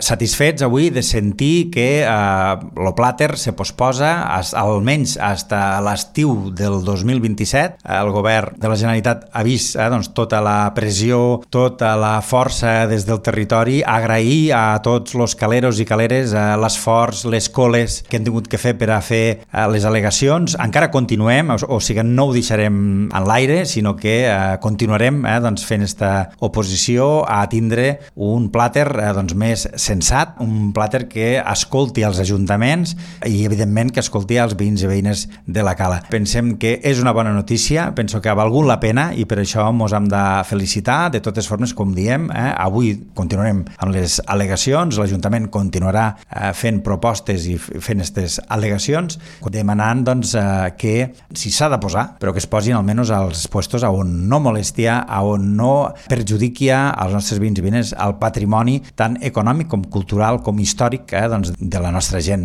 Satisfets avui de sentir que el plàter se posposa almenys fins a l'estiu del 2027. El govern de la Generalitat ha vist tota la pressió, tota la força des del territori. Agrair a tots els caleros i caleres l'esforç, les coles que han tingut que fer per a fer les al·legacions. Encara continuem, o sigui, no ho deixarem en l'aire, sinó que continuarem fent esta oposició a tindre un plàter més sensat, un plàter que escolti els ajuntaments i, evidentment, que escolti els veïns i veïnes de la Cala. Pensem que és una bona notícia, penso que ha valgut la pena i per això ens hem de felicitar. De totes formes, com diem, avui continuarem amb les al·legacions, l'Ajuntament continuarà fent propostes i fent aquestes al·legacions, demanant que si s'ha de posar, però que es posin almenys als puestos on no molestia, on no perjudiqui als nostres veïns i veïnes el patrimoni tant econòmic com cultural com històric de la nostra gent.